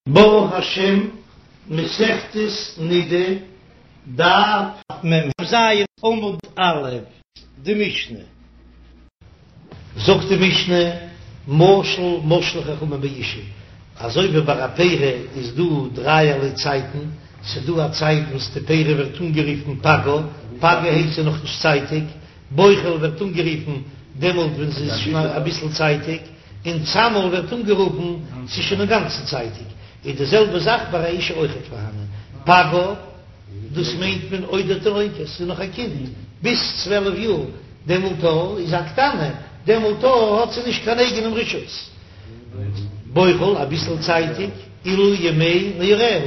ברוך השם, מסכת נידה, דף מ"ז עמוד א', די משנה. זאגט די משנה, משל משלו חכמים באשה, אזוי ווי ביי א פרי איז דא דרייערליי צייטן, ס'איז דא א צייט וואס די פרי ווערט אנגערופן פגה, פגה הייסט ס'איז נאכנישט צייטיג, בוחל ווערט אנגערופן דעמאלט ווען ס'איז שוין אביסל צייטיג, און צמר ווערט אנגערופן ס'איז שוין אינגאנצן צייטיג, איז די זעלבע זאך ביי א אשה אויכעט פארהאנען פגה, דאס מיינט מען עודה תינוקת, ס'איז נאך א קינד, ביז 12 יאר, דעמאלט איז א קטנה, דעמאלט האט זי נישט קיין אייגענעם רשות. בוחל, אביסל צייטיג, אלו ימי נעוריה,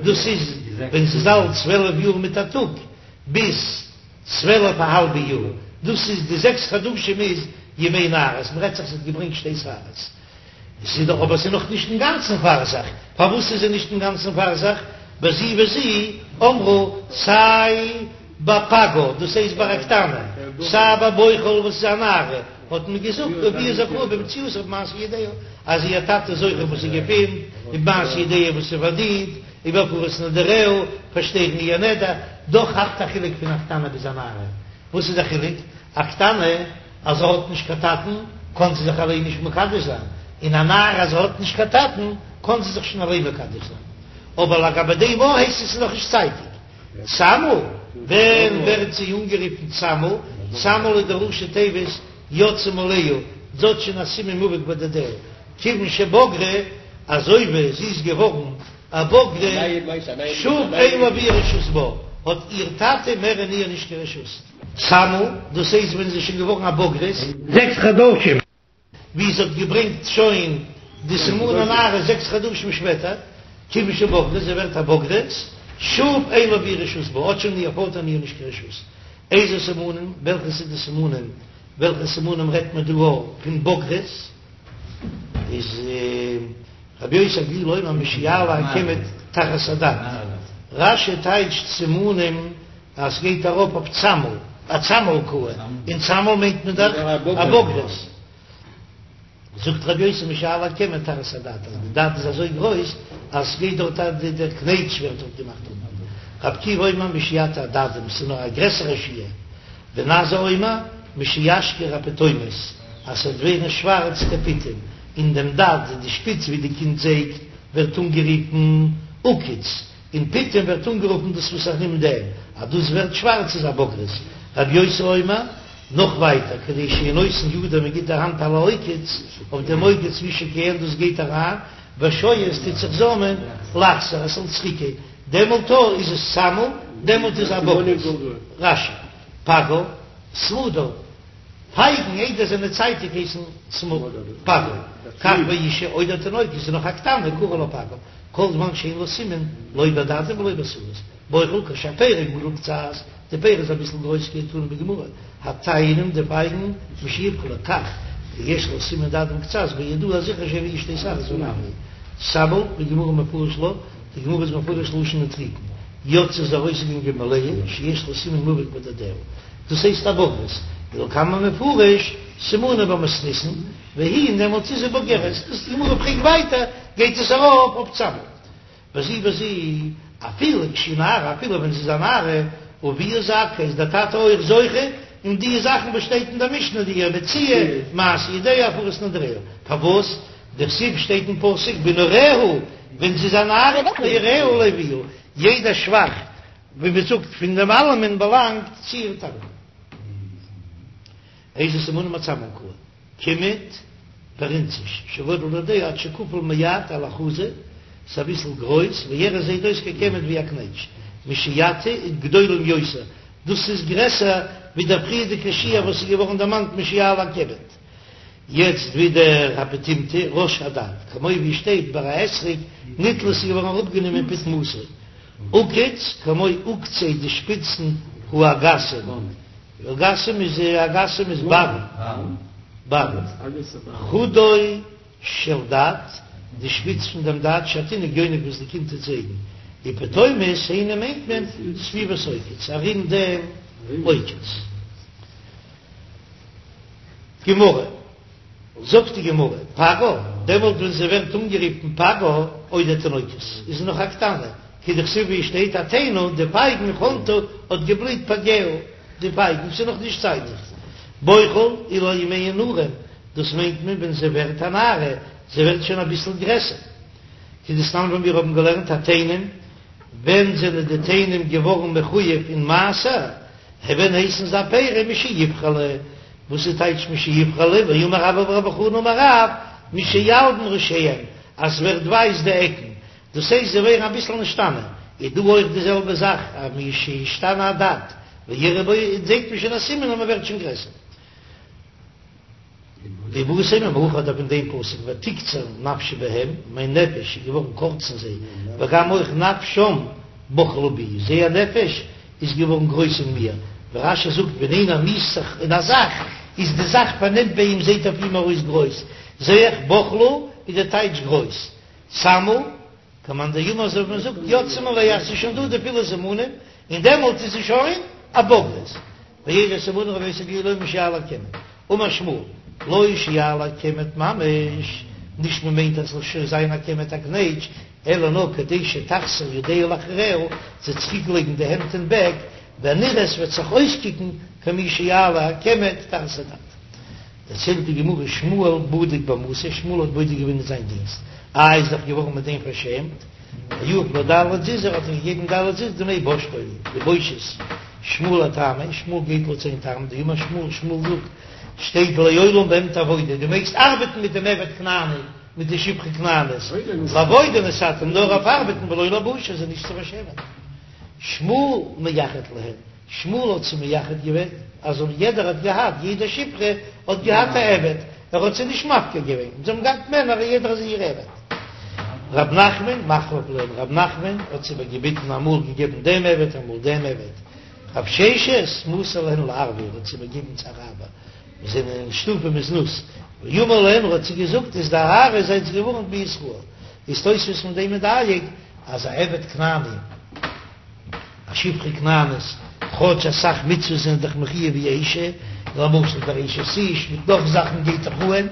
דאס איז ווען זי איז אלט 12 יאר מיט א טאג, ביז. 12 א האלבע יאר, דאס איז די זעקס חדשים איז ימי נערות, מ'רעדט זיך זי האט געברענגט שתי שערות, עס איז דאך אבער עס איז נאך נישט אינגאנצן פאר זיך, פארוואס איז זי נישט אינגאנצן פאר זיך, בזו ובזו אמרו סיי ביי פגה דאס הייסט ביי א קטנה, סיי ביי בוחל וואס איז א נערה, האט מען געזאגט אביה זכאי במציאתה ובמעשה ידיה, אז איר טאטע איז זוכה וואס זי געפינט, ובמעשה ידיה וואס זי פארדינט, ובהפרת נדריה, פארשטערן איר נדר, דאך האט א חילוק פון א קטנה ביז א נערה, וואס איז די חילוק? א קטנה אז זי האט נישט קיין טאטן קען זי זיך אליין נישט מקדש זיין, און א נערה אז זי האט נישט קיין טאטן קען זי זיך שוין אליין מקדש זיין, אבער לגבי דעם אויך הייסט עס איז נאך נישט צייטיג. צמר, ווען ווערט זי אנגערופן צמר? צמר איז די ראשי תיבות יצאה מאליה, זי האט שוין א סימן מובהק בדדיה, כיוון שבגרה, אזוי ווי זי איז געווארן א בוגרת, שוב אין לאביה רשות בה, האט איר טאטע מער אין איר נישט קיין רשות. צמר, דאס הייסט ווען זי איז שוין געווארן א בוגרת. זעקס חדשים, ווי זי האט געברענגט שוין די סימני נערות זעקס חדשים שפעטער, כיוון שבגרה, זי ווערט א בוגרת, שוב אין לאביה רשות בה, האט שוין איר פאטער אין איר נישט קיין רשות. איזה סימנים, וועלכע ס'איז די סימנים, וועלכע סימנים רעדט מען דא פון בוגרת? איז רבי יוסי הגלילי אומר משיעלה הקמט תחת הדד, רש"י טייטשט סימנים אז סגייט ארויף אויף צמר, א צמר קאה, און צמר מיינט מען דאך א בוגרת, זאגט רבי יוסי משיעלה הקמט תחת הדד, אז די דד איז אזוי גרויס אז סגייט דארט א די דער קנייטש ווערט דארט געמאכט אונטן, רבי עקיבא אומר משיטה הדדים, ס'איז נאר א גרעסערע שיעור. בן עזאי אומר משישחור הפיטומות אז ס'וועט ווערן שווארץ די פיטום אין דעם דד, די שפיץ ווי די קינד זייגט ווערט אנגערופן עוקץ, און פיטום ווערט אנגערופן דאס וואס ארום דעם, אז דאס ווערט שווארץ איז א בוגרת. רבי יוסי אומר, נאך ווייטער, כדי שיהא נותן ידו מען גיט די האנט על העוקץ, אויף דעם עוקץ ושוקען דאס גייט אריין, ושועה עס טוט זיך זאמען, לחזור עס זאל צוריקגיין. דעמאלט איז עס צמר, דעמאלט איז א בוגרת. רש"י, פגה, סמדר, פייגן איידער זענען צייטיג הייסן סמדר, פגה, כך באשה עודה תינוקת איז נאך א קטנה קרי לה פגה, כל זמן שאין לה סימן לא בדדים ולא בשערות, בוחל כשהפרי גדול קצת, די פרי איז אביסל גרויס כדתנא בגמרא, התאנים די פייגן משיבחלו כך כשיש לה סימן דדים קצת בידוע זיכער שהביאה שתי שערות ונמי צמר בגמרא מפרש לה. די גמרא איז מפרש לשון נוטריקון, יצאה איז ארויסגעגאנגען מאליה, שיש לה סימן מובהק בדדיה, דאס הייסט א בוגרת, ולקמן מפרש סימנים במתניתין, והיא דעמאלטס איז זי בוגרת, דאס די גמרא פרעגט ווייטער, גייט עס ארויף אויף צמר. בזו ובזו, אפילו כשהיא נערה, אפילו ווען זי איז א נערה, אביה זכאי, איז דער טאטע אויך זוכה אין די זאכן וואס שטייט אין דער משנה, די מציאה, מעשה ידיה, הפרת נדריה, פארוואס? דכתיב שטייט אין פסוק בנעוריה ווען זי איז א נערה נעוריה לאביה, יעדע שבח ווי מען זאגט פון דעם אלעמען באלאנגט צו איר טאטן. איזה סימנים הצמר קאי קימוט פרינציש שגדל דדיה עד שכפול מעט על החזה, ס'איז אביסל גרויס ויראה זעהט אויס כקמט ווי א קנייטש משיטה גדולים יותר דאס איז גרעסער ווי דער פריערדיגע שיעור וואס איז געווארן דערמאנט משיעלה הקמט. יעצט ווידער הפיטומתא ראש הדד, כמו ווי שטייט ביי א אתרוג ניטלה איז געווארן אראפגענומען פיטמתו, עוקץ כמו עוקצי די שפיצן האגסים, אגסים איז אגסים איז בארן, בארן, חודו של דד, די שפיץ פון דעם דד שהתינוק יונק וואס די קינד טוט זייגן, ופיטומות היינו מיינט מען סביבות עוקץ ארום דעם עוקץ. גמרא, זאגט די גמרא, פגה, דעמאלט ווען זי ווערט אנגערופן פגה, עודה תינוקת, איז נאך א קטנה, כדכתיב ווי עס שטייט התאנה די פייגן חנטה האט געבליט פגיה די פייגן ס'איז נאך נישט צייטיג בוחל אלו ימי הנעורים דאס מיינט מען ווען זי ווערט א נערה זי ווערט שוין אביסל גרעסער כדתנן ווען מיר האבן געלערנט התאנים ווען זענען די תאנים געווארן מחויב אין מעשר ווען הייסן זיי פירות משיבחלו וואס איז טייטש משיבחלו ואמר רבה בר בר חנה אמר רב משילבין ראשיהם אז ס'ווערט ווייס די עקן דאס הייסט זיי ווערן אביסל נשתנה, איז דא אויך די זעלבע זאך אז משישתנה הדד ויראה בו זעט מען שוין א סימן אז מען ווערט שוין גרעסער. ואיבעית אימא מהכא אדער פון דעם פסוק ותקצר נפשי בהם, מיין נפש איז געווארן קורץ אין זיי, וגם אויך נפשם בחלה בי, זייער נפש איז געווארן גרויס אין מיר, ווי רש"י זאגט ווען איינער מיאוסט זיך אין א זאך איז די זאך פארנעמט ביי אים זעט אויף אים ארויס גרויס, זע איך בחלה איז די טייטש גרויס. צמה, כמאן דאמר אזוי ווי מען זאגט יצאו מאליה אז ס'איז שוין דא די פילע סימנים, און דעמאלט איז זי שוין א בוגרת. ואלו סימני רבי יוסי הגלילי אומר משיעלה הקמט, אמר שמואל, לא שיעלה הקמט ממש, נישט מען מיינט אז ס'זאל שוין זיין א קמט א קנייטש, אלא נאר כדי שתחזיר ידיה לאחריה, זי צוריק לייגן די הענט אין בעק, ונראה ס'וועט זיך אויסקוקן כמי שיעלה הקמט תחת הדד. דערציילט די גמרא שמואל בדיק במתא, שמואל האט בודק געווען אין זיין דינסט, איי איז דאך געווארן מיט דעם פארשעמט, ויהב ליה ד' זוזי האט ער געגעבן ד' זוז דמי בושתו, די בושות, שמואל לטעמיה, שמואל גייט לויט זיין טעם, דאמר שמואל, שמואל זאגט, שטייט לעולם בהם תעבודו, דו מעגסט ארבעטן מיט דעם עבד כנעני, מיט די שפחה כנענית, לעבודה נתתים, נאר אויף ארבעטן ולא לבושה, זיי נישט צו פארשעמען. שמואל מייחד להן. שמואל האט זיי מייחד געווען, אז יעדער האט געהאט, יעדע שפחה האט געהאט א עבד, ער האט זיי נישט מפקיר געווען, זיי האבן געהאט מענער און יעדער איז איר עבד. רב נחמן מחליף להן, רב נחמן האט זיי איבערגעביטן, אמאל געגעבן דעם עבד אמאל דעם עבד, רב ששת מסר להן לערבי, ער האט זיי איבערגעגעבן צו אראבער, וואס זענען שטופים בזנות, ואמר להן, ער האט זיי געזאגט, הזדהרו זייטס געווארנט מישראל, איז תוספות פון דעם מדייק אז א עבד כנעני, א שפחה כנענית, כאטש אסאך מצוות זענען דאך מחויב ווי אשה, למשל דער אשת איש מיט נאך זאכן גייט דאך אהן,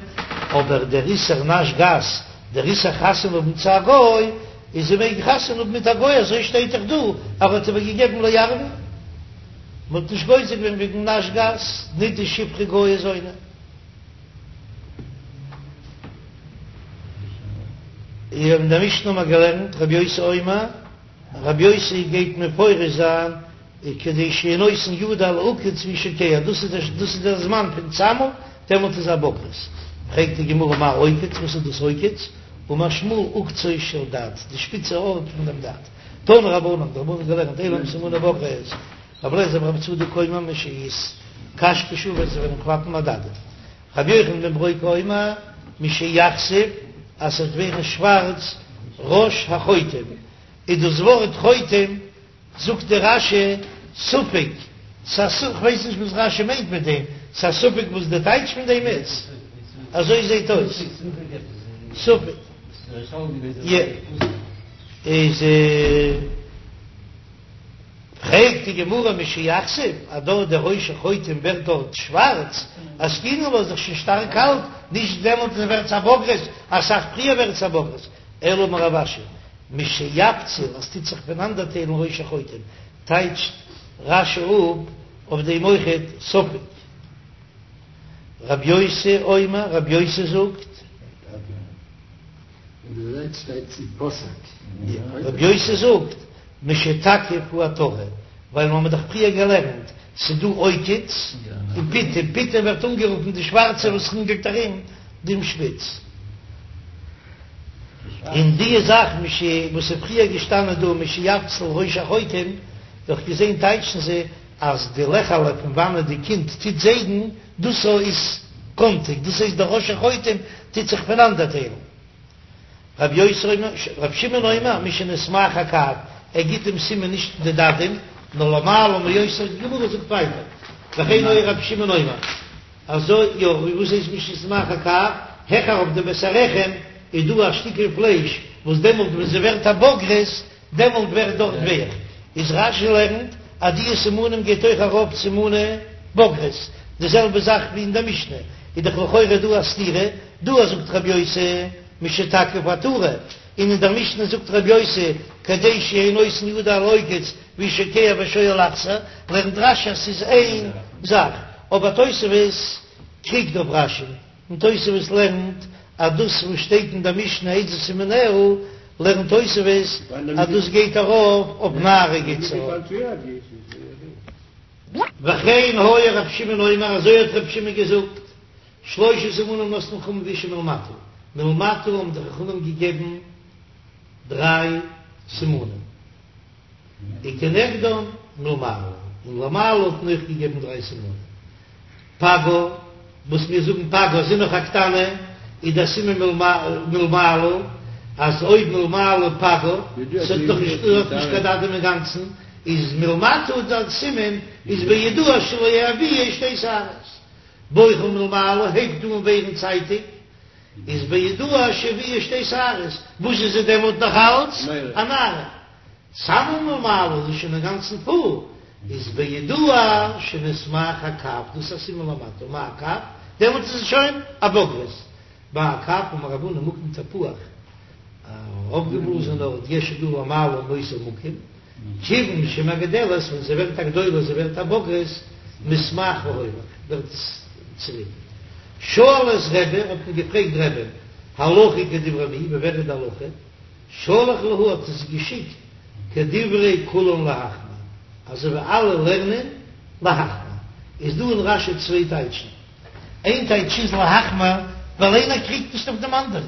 אבער דער איסור נש גס, דער איסור חתונה האבן צו א גוי, איז זי מעג חתונה האבן מיט א גוי, אזוי שטייט דאך דא אז ער האט איבער געגעבן לערבי, מען האט נישט גוזר געווען וועגן נש גס, נידה שפחה גויה זונה. אין דער משנה האבן מיר געלערנט רבי יוסי אומר. רבי יוסי גייט מפרש זיין כדי שיהא נותן ידו על העוקץ והוא שוקע, דאס איז דאס איז דער זמן פון צמה, דעמאלט איז א בוגרת. פרעגט די גמרא מאי עוקץ, וואס איז דאס עוקץ? אמר שמואל עוקצו של דד, די שפיצע ארט פון דעם דד. תנו רבנן, די רבנן האבן געלערנט אלו הן סימני בגרות, רבי אליעזר ברבי צדוק אומר משיתקשקשו ווען זיי וועלן קלאפן הדדים. רבי יוחנן בן ברוקה אומר משיכסיף אז ס'וועט ווערן שווארץ ראש החוטם, איז דאס ווארט חוטם זאגט די רש"י ספק, ס'א ספק, כ'ווייס נישט וואס רש"י מיינט מיט דעם, ס'א ספק וואס די טייטש פון דעם איז, אזוי זעט אויס, ספק, איז. פרעגט די גמרא משיכסיף אז דארט דער ראש החוטם ווערט דארט שווארץ, אזקינן לה איז דאך שוין שטארק אלט, נישט דעמאלט ווערט עס א בוגרת, אסאך פריער ווערט עס א בוגרת, אלא אמר רב אשי משיפציל אז ס'טוט זיך פונאנדערטיילן ראש החוטם, טייטשט רש"י אפ אויף דעם אויכעט ספק. רב יוסי אומר, רב יוסי זאגט. רבי יוסי זאגט, משתקיף העטרה, ווייל מ'האמיר דאך פריער געלערנט, ס'דא עוקץ און פיטום, פיטום ווערט אנגערופן די שווארצע וואס רינגלט ארום דעם שפיץ. און די זאך מש וואס איז פריער געשטאנען דא משיפציל ראש החוטם, דאך געזען טייטשן זיי אז די לעכעלע פון וואנעט די קינד טוט זייגן, דאס איז קאנטיג, דאס הייסט דער ראש החוטם טוט זיך פונאנדערטיילן. רב יוסי אומר, רב שמעון אומר, משנתמעך הקב, ער גיט דעם סימן נישט די דדים, נאר למעלה מאותו, די גמרא זאגט ווייטער, וכן היה רב שמעון אומר, אזוי יא, וואס הייסט משנתמעך הקב, העכער אויף די בית הרחם איז דא א שטיקל פלייש, וואס דעמאלט ווען זי ווערט א בוגרת, דעמאלט ווערט דארט ווייך, איז רש"י לערנט אז די סימנים גייט אויך ארויף סימני בגרות, די זעלבע זאך ווי אין די משנה, איז דאך לכאורה דא א סתירה, דא זאגט רבי יוסי משתקיף העטרה. און אין דער משנה זאגט רבי יוסי כדי שיהא נותן ידו על העוקץ והוא שוקע ושואל לחזור, לערנט רש"י אז ס'איז איין זאך, אבער תוספות קריגט אויף רש"י, און תוספות לערנט אז דאס וואס שטייט אין דער משנה איזה סימניה לערנט תוספות אז דאס גייט ארויף אויף נערה גייט עס ארויף. וכן היה רב שמעון אומר אזוי האט רב שמעון געזאגט, שלשה סימנים נתנו חכמים באשה מלמטה, מלמטה האבן די חכמים געגעבן דריי סימנים, וכנגדן מלמעלה, און למעלה האט מען אויך געגעבן דריי סימנים, פגה, וואס מיר זאגן פגה זי איז נאך א קטנה, איז דער סימן מלמעלה, אז אויב מלמעלה פגה, ס'האט נאך נישט, האט נישט קיין דדים אינגאנצן, איז מלמטה דער סימן איז בידוע שלא הביאה שתי שערות. בוכה מלמעלה הייבט אן ווערן צייטיג, איז בידוע שהביאה שתי שערות, וואס איז זי דעמאלט נאך אלץ א נערה. צמה מלמעלה איז שוין אינגאנצן פול, איז בידוע שנסמך הקב, דאס איז א סימן למטה, מאי קב? דעמאלט איז עס שוין א בוגרת. מאי קב אמר רב הונא מקום תפוח, א אויפגעבלאזענע ארט יש דא למעלה מאותו מקום, כיוון שמגדלת, ווען זי ווערט א גדולה, זי ווערט א בוגרת, מסמך והולך, ווערט עס צוריק. שאלו את רבי, האט מען געפרעגט רבי'ן, הלכה כדברי מי, ווי ווער איז די הלכה? שלח להו האט ער זיי געשיקט כדברי כולן להחמיר, אזוי ווי אלע לערנען להחמיר, איז דא אין רש"י צוויי טייטשן, איין טייטש איז להחמיר ווייל איינער קריגט נישט אויף דעם אנדערן,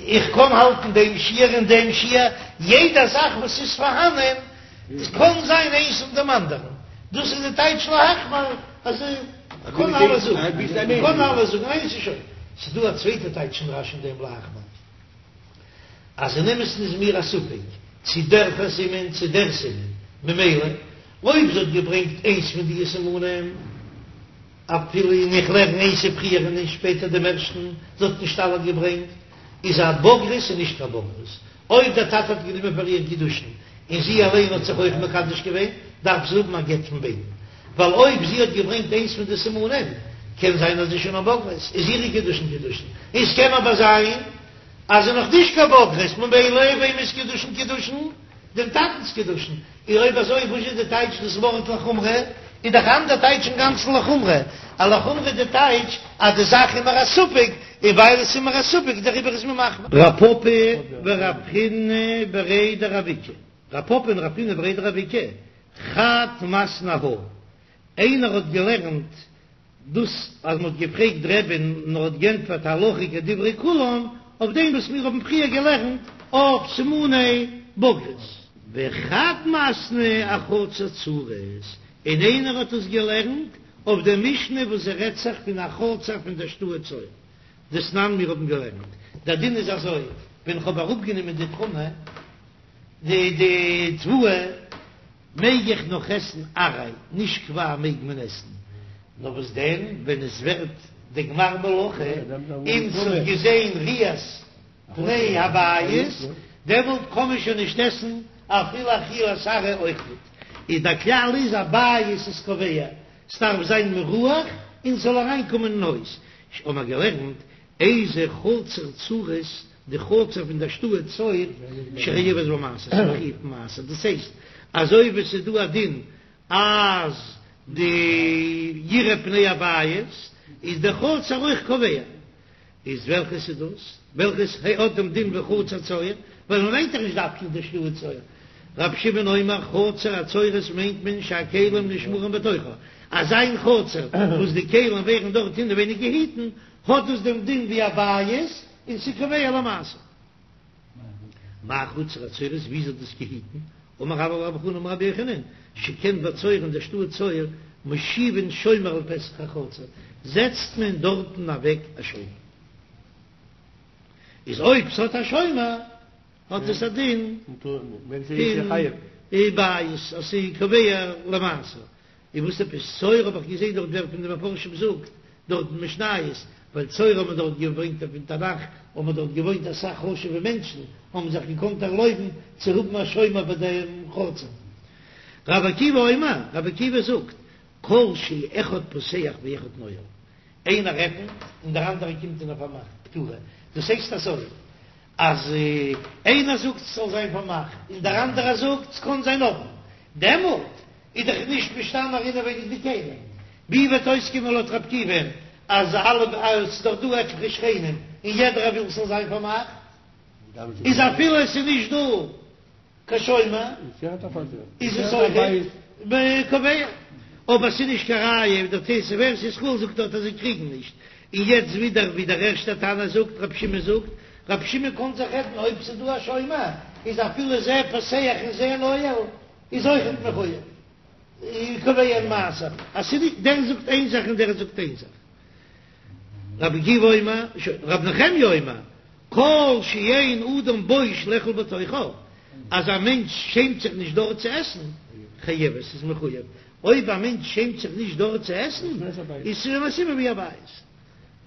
איך קען האלטן דעם שיעור און דעם שיעור, יעדע זאך וואס איז פארהאנען קען זיין איינס און דעם אנדערן, דאס איז די טייטש להחמיר, אז איך קען אלעס זאגן, איך קען אלעס זאגן, איינס איז שוין. ס'איז דא א צווייטע טייטש אין רש"י אין דעם להחמיר. אז אין אמת'ן איז מיר א ספק צי דער סימן צי דער סימן, ממילא אויב זי האט געברענגט איינס פון די סימנים, אפילו און איך לערן איינס איז פריער און איינס שפעטער דעם ערשטן, זי האט נישט אלע געברענגט, איז א בוגרת און נישט קיין בוגרת. אויב דער טאטע האט גענומען פאר איר קידושין און זי אליין האט זיך אויך מקדש געווען, דארף זי האבן א גט פון ביידן, ווייל אויב זי האט געברענגט איינס פון די סימנים, קען זיין אז זי איז שוין א בוגרת, איז אירע קידושין קידושין, און ס'קען אבער זיין אז זי איז נאך נישט קיין בוגרת, ממילא וועמענס קידושין קידושין? דעם טאטנ'ס קידושין, און אויב אזוי וואס איז די טייטש דאס ווארט לחומרא? איז דאך אנדער טייטש אינגאנצן לחומרא, א לחומרא איז די טייטש אז די זאך איז מיר א ספק, און ווייל עס איז מיר א ספק דעריבער איז מען מחמיר. רב פפא ורב חיננא בריה דרב איקא, רב פפא און רב חיננא בריה דרב איקא, חד מתני אהא, איינער האט געלערנט דאס אז מ'האט געפרעגט רבי'ן און ער האט גענטפערט הלכה כדברי כולם, אויף דעם וואס מיר האבן פריער געלערנט אויף סימני בגרות. וחד מתני אחצר צורית, און איינער האט עס געלערנט אויף דער משנה וואס עס רעדט זיך פון א חצר פון דער שטאט צור. דתנן מיר האבן געלערנט, דער דין איז אזוי, ווען כ'האב אראפגענומען די תרומה, די די תבואה, מעג איך נאך עסן עראי, נישט קבע מעג מען עסן, נאר וואס דען ווען עס ווערט די גמר מלאכה און ס'האט געזען ראיית פני הבית, דעמאלט קען מען שוין נישט עסן אפילו אכילת עראי אויך ניט, איז דער כלל איז א בית איז קובע, ס'דארף זיין מרוח און ס'זאל אריינקומען אין הויז, האבן מיר געלערנט איזה חצר צורית, די חצר פון דער שטאט צור שחייבת במעשר, ס'איז מחויב במעשר, דאס הייסט אזוי ווי ס'איז דא א דין אז די יראה פני הבית איז די חצר אויך קובע, איז וועלכעס איז דאס? וועלכעס האט דעם דין ווי חצר צור? ווייל מ'מיינט דאך נישט דווקא די שטאט צור. רבי שמעון אומר חצר הצורית מיינט מען שהכלים נשמרים בתוכה, אזא איין חצר וואס די כלים ווערן דארט אינעווייניג געהיטן, האט דאס דעם דין ווי א בית און ס'איז קובע למעשר. מאי חצר הצורית, ווי איז דאס געהיטן? אמר רבה בר בר חנה אמר רבי יוחנן, שכן בצור אין דער שטאט צור מושיבין שומר על פתח החצר, זעצט מען דארטן אוועק א שומר. איז אויב ס'האט א שומר האט עס א דין פון בית אז ס'איז קובע למעשר. און וואס עפעס צור האב איך געזען דארט ווער פון די מפרשים זאגט דארט אין משניות, ווייל צור האט מען דארט געברענגט פון תנך, האבן מען דארט געוואוינט אסאך חשובע מענטשן, האבן זיך געקאנט ערלויבן צו האבן א שומר ביי דעם חצר. רבי עקיבא אומר, רבי עקיבא זאגט, כל שאחד פותח ואחד נועל, איינער עפנט און דער אנדערער קומט און ער פארמאכט, פטורה, דאס הייסט אזוי. אז איינער זאגט ס'זאל זיין פארמאכט און דער אנדערער זאגט ס'קען זיין אפן, דעמאלט איז דאך נישט משתמר אינעווייניג די כלים. ווי וועט אויסקומען לויט ר' עקיבא'ן אז אלע אז ס'איז דאך דא עטליכע שכנים און יעדער וויל ס'זאל זיין פארמאכט, איז אפילו עס איז נישט דא קיין שומר איז עס אויך קובע, אבער ס'איז נישט קיין ראיה, דער תוס' ארץ ישראל זאגט דארט אז זיי קריגן נישט, און יעצט ווידער ווי דער ערשטער תנא זאגט, רבי שמעון זאגט, רבי שמעון קען זיך רעדן אויב ס'איז דא א שומר איז אפילו זה פותח און זה נועל איז אויכעט מחויב קובע מעשר, אז ס'איז נישט דער זאגט איין זאך און דער זאגט איין זאך. רבי עקיבא אומר, רבי נחמיה אומר, כל שאין אדם בוש לאכול בתוכה, אז א מענטש שעמט זיך נישט דארט צו עסן, חייבת, איז מחויב, אויב א מענטש שעמט זיך נישט דארט צו עסן, איז שוין א סימן ווי א בית.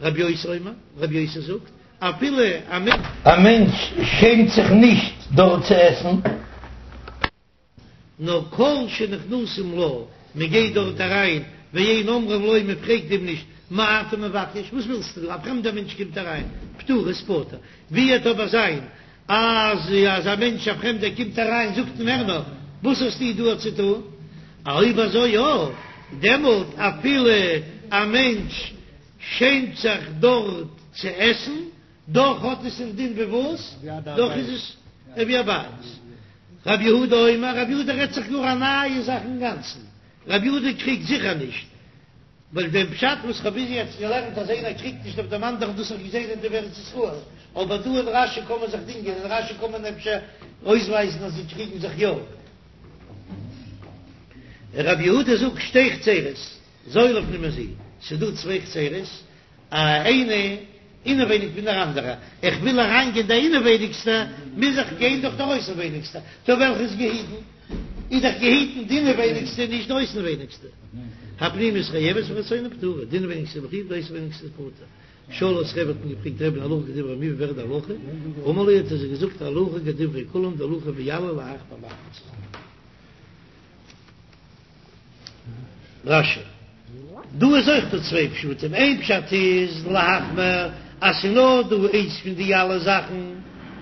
רבי יוסי אומר, רבי יוסי זאגט, אפילו א. א מענטש שעמט זיך נישט דארט צו עסן. נאר כל שנכנסים לה, מען גייט דארט אריין, ואין אומרים לו, מען פרעגט אים נישט, מה אתה מבקש, וואס ווילסטו דא, א פרעמדער מענטש קומט אריין, פטורה איז פטור, ווי וועט אבער זיין אז אז א מענטש א פרעמדער קומט אריין זאגט אים ער נאר, וואס האסטו דא צו טון, אויב אזוי יא, דעמאלט אפילו א מענטש שעמט זיך דארט צו עסן, דאך האט עס א דין ווי וואס? דאך איז עס ווי א בית. רבי יהודה אומר, רבי יהודה רעדט זיך גאר א נייע זאך אינגאנצן, רבי יהודה קריגט זיכער נישט, ווייל דעם פשט וואס כ'האב ביז יעצט געלערנט אז איינער קריגט נישט אויף דעם אנדערן דאס האב איך געזען אין די ארץ ישראל, אבער דא אין רש"י קען מען זיך דינגען, אין רש"י קען מען אפשר אויסווייזן אז זיי קריגן זיך יא. רבי יהודה זאגט שתי חצרות, זו לפנים מזו, ס'איז דא צוויי חצרות, איינע אינעווייניג פון דער אנדערע, איך וויל אריינגיין די אינעווייניגסטע, מוז איך גיין דורך דער אויסנווייניגסטע, טא וועלכע איז געהיטן? איז דאך געהיטן די אינעווייניגסטע, נישט די אויסנווייניגסטע. הפנימית חייבת והחיצונה פטורה, די אינעווייניגסטע איז מחויב, די אויסנווייניגסטע איז פטור. שאלו את רבי האט מען געפרעגט רבי'ן הלכה כדברי מי ווי ווערט די הלכה? אמר להו האט ער זיי געזאגט הלכה כדברי כולם די הלכה ווי אלע להחמיר מחמיר צו זיין. רש"י, דא איז אויך דא צוויי פשטים, איין פשט איז להחמיר אז ס'איז נאר דא איינס פון די אלע זאכן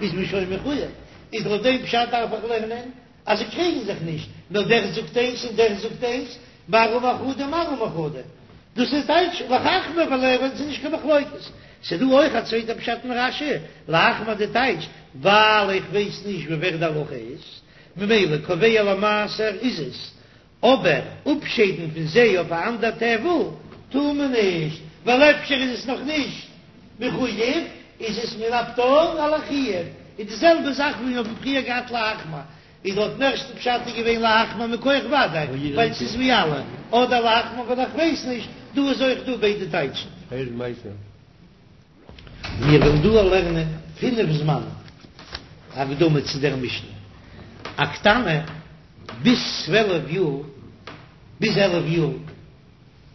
איז מען שוין מחויב, איז לויט דעם פשט דארף איך לערנען אז זיי קריגן זיך נישט, נאר דער זאגט איינס און דער זאגט איינס, מר אמר חדא מר אמר חדא, דאס איז טייטש להחמיר ווייל ער ס'איז נישט קיין מחלוקת. ס'איז דא אויך א צווייטע פשט אין רש"י, להחמיר די טייטש ווייל איך ווייס נישט ווי ווער די הלכה איז, ממילא קובע למעשר איז עס, אבער אפשיידן פון זיי אויף א אנדער טבל טאר מען נישט, ווייל אפשר איז עס נאך נישט מחויב, איז עס מן הפטור על החיוב, איז די זעלבע זאך ווי מיר האבן פריער געהאט להחמיר, איז לויטן ערשטן פשט איז געווען להחמיר מכח ודאי, ווייל ס'איז ווי אלע, אדער להחמיר ווייל איך ווייס נישט, דא איז אויך דא ביידע טייטשן. מיר וועלן דא לערנען פינף זמנים, הקדמה צו דער משנה, א קטנה ביז צוועלף יאר, ביז 11 יאר,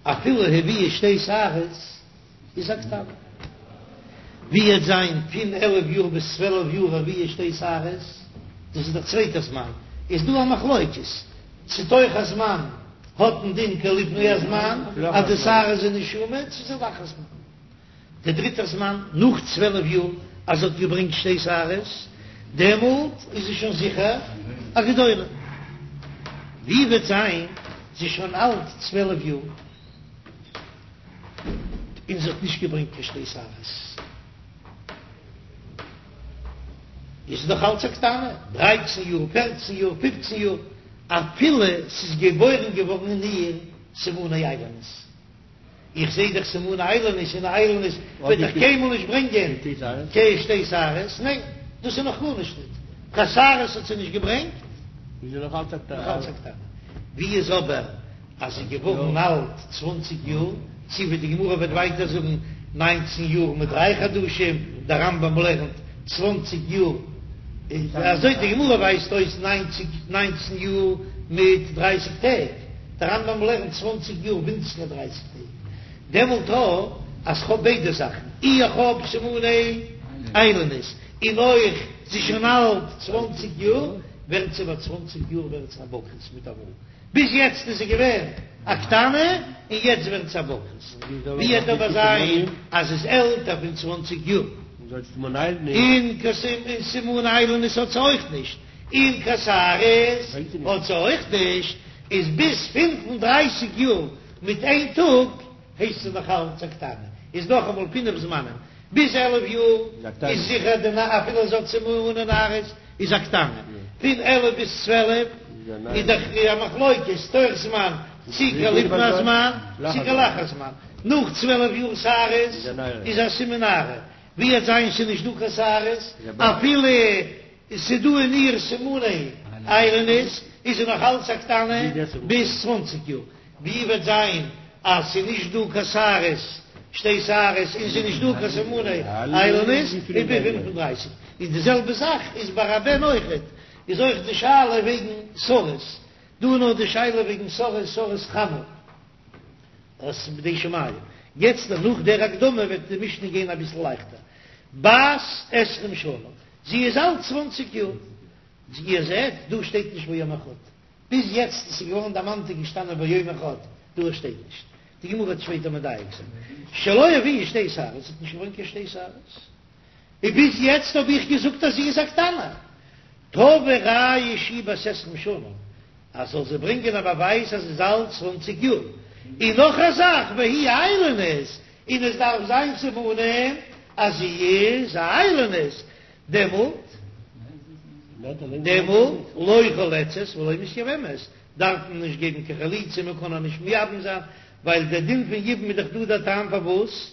אפילו הביאה שתי שערות איז א קטנה. ווי וועט זיין פון 11 יאר ביז צוועלף יאר הביאה שתי שערות, דאס איז דער צווייטער זמן, איז דא א מחלוקת צו תוך הזמן האט א דין כלפני הזמן אז די שערות זענען שמוט, צו ס'איז לאחר הזמן. דער דריטער זמן, נאך צוועלף יאר אז זי האט געברענגט שתי שערות, דעמאלט איז זי שוין זיכער א גדולה. ווי וועט זיין זי איז שוין אלט צוועלף יאר און זי האט נישט געברענגט קיין שתי שערות, איז זי נאך אלץ א קטנה, דרייצן יאר, פערצן יאר, פופצן יאר, אפילו ס'איז געבוירן געווארן אין איר סימני איילונית. איך זעה דאך סימני איילונית און איילונית וועט דאך קיינמאל נישט ברענגען קיין שתי שערות, ניין דאס איז נאך גארנישט ניט, קיין שערות האט זי נישט געברענגט, איז זי נאך אלץ א קטנה. נאך אלץ א קטנה. ווי איז אבער אז זי איז געווארן אלט צוואנציג יאר, צי ווי די גמרא וועט ווייטער זאגן ניינצן יאר מיט דריי חדשים, דער רמב"ם לערנט צוואנציג יאר, אזוי די גמרא ווייזט אויס ניינציג ניינצן יאר מיט דרייסיג טעג. דער רמב"ם לערנט צוואנציג יאר ווינציגער דרייסיג טעג, דעמאלט א אז כ'האב ביידע זאכן, אי איך האב סימני איילונית, און אויך זי איז שוין אלט צוואנציג יאר, ווערט זי ביי צוואנציג יאר ווערט זי א בוגרת מיטאמאל, ביז יעצט איז זי געווען א קטנה און יעצט ווערט זי א בוגרת, ווי וועט אבער זיין אז זי איז עלטער פון צוואנציג יאר. און קיין סימני איילונית האט זי אויך נישט, און קיין שערות האט זי אויך נישט, איז ביז 35 יאר מיט איין טאג הייסט זי נאך אלץ א קטנה, איז נאכאמאל פינף זמנים, ביז 11 יאר איז זיכער די אפילו זי האט סימני נערות איז א קטנה, פון 11 ביז 12 איז דאך א מחלוקת תוך זמן צי כלפני הזמן צי כלאחר זמן, נאך 12 יאר שערות איז א סימן נערה, ווי וועט זיין ס'איז נישט דא קיין שערות אפילו ס'איז דא אין איר סימני איילונית איז זי נאך אלץ א קטנה ביז צוואנציג יאר, ווי וועט זיין אז ס'איז נישט דא קיין שערות שתי שערות און ס'איז נישט דא קיין סימני איילונית איז ביז 35, און די זעלבע זאך איז ביי א בן אויכעט, איז אויך די שאלה וועגן סריס, דא איז נאר די שאלה וועגן סריס סריס חמה. אז בידי שמים. יעצט נאך דער הקדמה וועט די משנה גיין אביסל לייכטער. בת עשרים שנה, זי איז אלט צוואנציג יאר. איר זעט, דא שטייט נישט ויום אחד. ביז יעצט עס איז געווארן דערמאנט איז געשטאנען ויום אחד, דא שטייט נישט. די גמרא וועט שפעטער מדייק זיין. שלא הביאה שתי שערות, זי האט נישט געברענגט קיין שתי שערות. און ביז יעצט האב איך געזאגט אז זי איז א קטנה. תביא ראיה שהיא בת עשרים שנה, אז זאל זי ברענגען א באווייז אז זי איז אלט צוואנציג יאר, און נאך א זאך והיא איילונית, און עס דארף זיין סימנים אז זי איז א איילונית, דעמאלט דעמאלט לא חולצת ולא מתייבמת, דארף מען נישט געבן קיין חליצה, מען קען איר נישט מייבם זיין, ווייל דער דין פון יבום איז דאך דא דער טעם פארוואס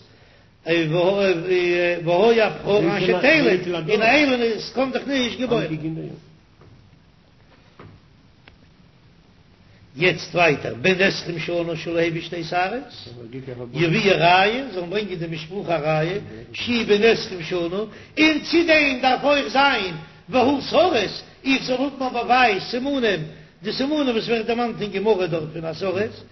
והיה הבכור אשר תלד, און א איילונית קען דאך נישט געבוירן. יעצט ווייטער, בן עשרים שנה שלא הביא שתי שערות, יביאו ראיה, זאלן ברענגען די משפחה א ראיה, שהוא בן עשרים שנה, און צו דעם דארף אויך זיין והוא סריס, איך זאל האבן א באווייז, סימנים, די סימנים וואס ווערט דערמאנט אין גמרא דארט פון א סריס,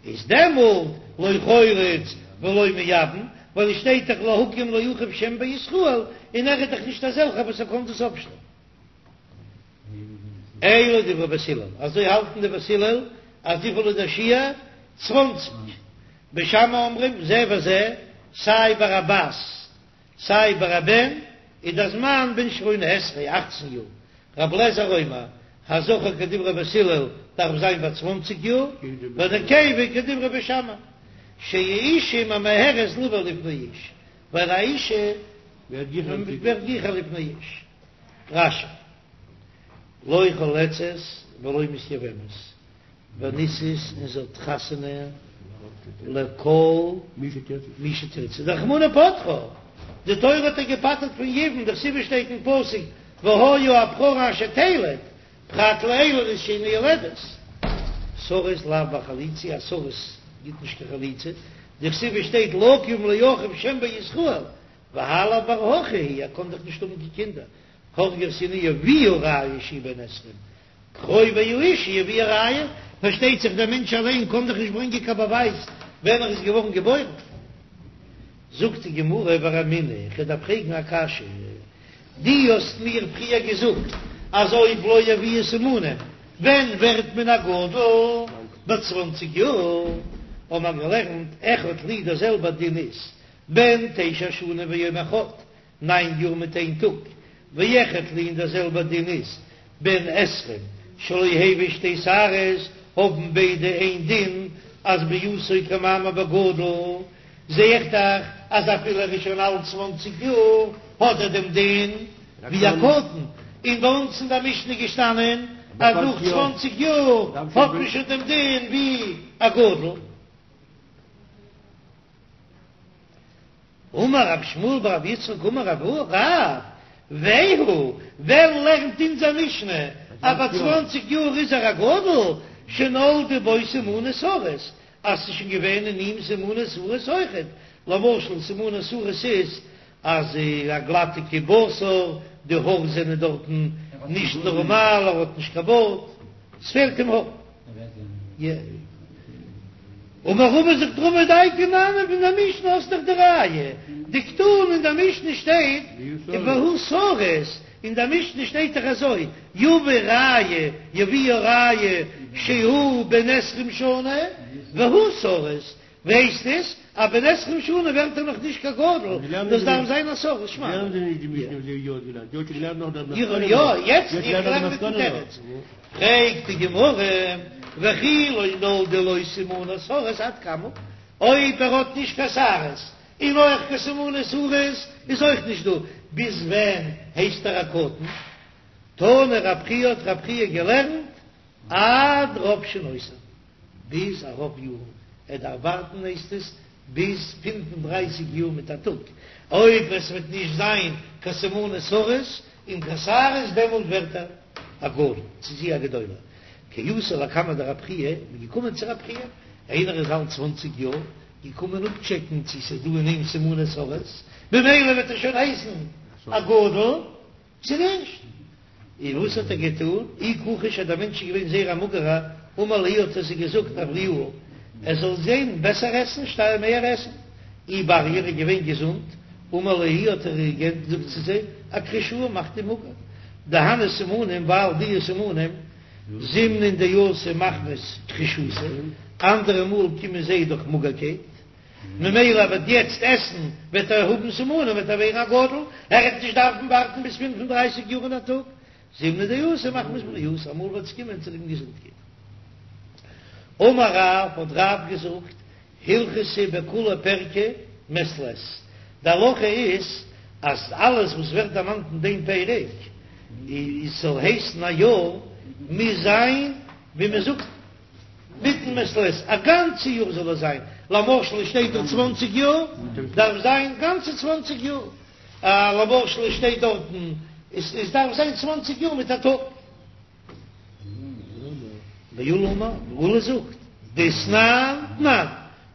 איז דעמאלט לא חולץ ולא מייבם, ווייל עס שטייט דאך להקים לאחיו שם בישראל, און ער איז דאך נישט אזעלכער וואס ער קען דאס אפשטעלן. אלו דברי בית הלל, אזוי האלטן די בית הלל אז וויפיל איז דער שיעור? צוואנציג. בית שמאי אומרים זה וזה, סיי ביי א בת סיי ביי א בן איז דער זמן בן שמונה עשרה, אכצן יאר. רבי אליעזר אומר, הזכר כדברי בית הלל דארף זיין ביי צוואנציג יאר, והנקבה כדברי בית שמאי, שהאשה ממהרת לבא לפני איש, ווייל א אישה ווערט גיכער לפני איש. רש"י, לא חולצת ולא מתייבמת, ונישאת און זי האט חתונה לכל מי שתרצה, דרחמנא פטרה, די תורה האט איר געפטר'ט פון יבום, דכתיב שטייט אין פסוק והיה הבכור אשר תלד, פרט לאילונית שאינה יולדת. סריס לאו בר חליצה, א סריס גיט נישט קיין חליצה, דכתיב שטייט להקים לאחיו שם בישראל, והאי לאו בר הכי הוא, ער קען דאך נישט האבן קיין קינדער, הרגו את ינאיו יביאו ראיה שהוא בן עשרים, קרובי האשה יביאו ראיה, פארשטייט זיך דער מענטש אליין קען דאך נישט ברענגען קיין באווייז ווען ער איז געווארן געבוירן. זאגט די גמרא ורמינהו, איך דארף פרעגן א קשיא, דו האסט מיר פריער געזאגט אז אויב לא הביאה סימנים ווען ווערט מען א גדול? ביי צוואנציג יאר האבן מיר געלערנט אחד לי דער זעלבער דין איז בן תשע שנים ויום אחד, ניין יאר מיט איין טאג, ואחד לי און דער זעלבער דין איז בן עשרים שלא הביא שתי שערות, האבן ביידע איין דין אז ביאתו כמאמר בגדול, זע איך דאך אז אפילו ער איז שוין אלט צוואנציג יאר האט ער דעם דין ווי א קטן, און ביי אונז אין דער משנה איז געשטאנען אז נאך צוואנציג יאר האט מען שוין דעם דין ווי א גדול. אמר רב שמואל בר רב יצחק אמר רב רב, והוא, ווען לערנט אונזער משנה אז ביי צוואנציג יאר איז ער א גדול, שנולדו בו סימני סריס, אז ס'איז שוין געווען אין אים סימני סריס אויכעט, למשל סימני סריס איז אז א גלאטיגע בשר, די האר זענען דארטן נישט נארמאל, ער האט נישט קיין בארד, ס'פעלט אים האר. אמר רבא זאגט רבא דייקא נמי פון דער משנה האסט דאך די ראיה, דקתני אין דער משנה שטייט והוא סריס, אין דער משנה שטייט דאך אזוי יביא ראיה יביאו ראיה שהוא בן עשרים שנה והוא סריס. ווייסט עס אז בן עשרים שנה ווערט ער נאך נישט קיין גדול, דאס דארף זיין א סריס שמע. יא, יעצט איך לערן מיטן תירוץ. פרעגט די גמרא, וכי לא נולדו לו סימני סריס עד כמה, אויב ער האט נישט קיין שערות און אויך קיין סימני סריס איז אויך נישט דא, ביז ווען הייסט ער א קטן? תנא רב חייא האט רב חייא געלערנט עד רוב שנותיו, ביז א רוב יארן, ער דארף ווארטן הייסט עס ביז פֿינף און דרײַסיק יאר מיט א טאג, אויב עס וועט נישט זיין קיין סימני סריס און קיין שערות דעמאלט ווערט ער א גדול, צו זי א גדולה. כי אתו לקמיה דרב חייא, מען איז געקומען צו רב חייא, איינער איז אלט צוואנציג יאר, געקומען אפטשעקן צו ס'איז דא אין אים סימני סריס, במילא וועט ער שוין הייסן א גדול, צו נישט? און וואס האט ער געטון? אי כחוש אז דער מענטש איז געווען זייער א מאגערער, אמר להו האט ער זיי געזאגט אבריאוה, ער זאל זען בעסער עסן, שטייער מעהר עסן. אי בריא ער איז געווען געזונט, אמר להו האט ער געזאגט צו זיי, אכחישוה מאכט אים מאגער. דהני סימנים ווייל די סימנים זימנין דאתו מחמת כחישותא, אנדערע מאל קומען זיי דורך מאגערקייט. ממילא ער וועט יעצט עסן וועט ער האבן סימנים וועט ער ווערן א גדול, ער וועט נישט דארפן ווארטן ביז 35 יאר און א טאג, זימנין דאתו מחמת בריאותא, אמאל וועט עס קומען צוליבן געזונטקייט. אמר רב, האט רב געזאגט, הלכתא בכוליה פירקא מעת לעת, די הלכה איז אז אלעס וואס ווערט דערמאנט אין דעם פרק איז ס'זאל הייסן א יאר, מוז זיין ווי מ'זאגט, מיטן מעת לעת, א גאנצע יאר זאל עס זיין, למשל עס שטייט דארט צוואנציג יאר, דארף זיין גאנצע צוואנציג יאר, למשל עס שטייט דארטן, עס דארף זיין צוואנציג יאר מיט א טאג. ועולא אמר, עולא זאגט, דתנן תנן,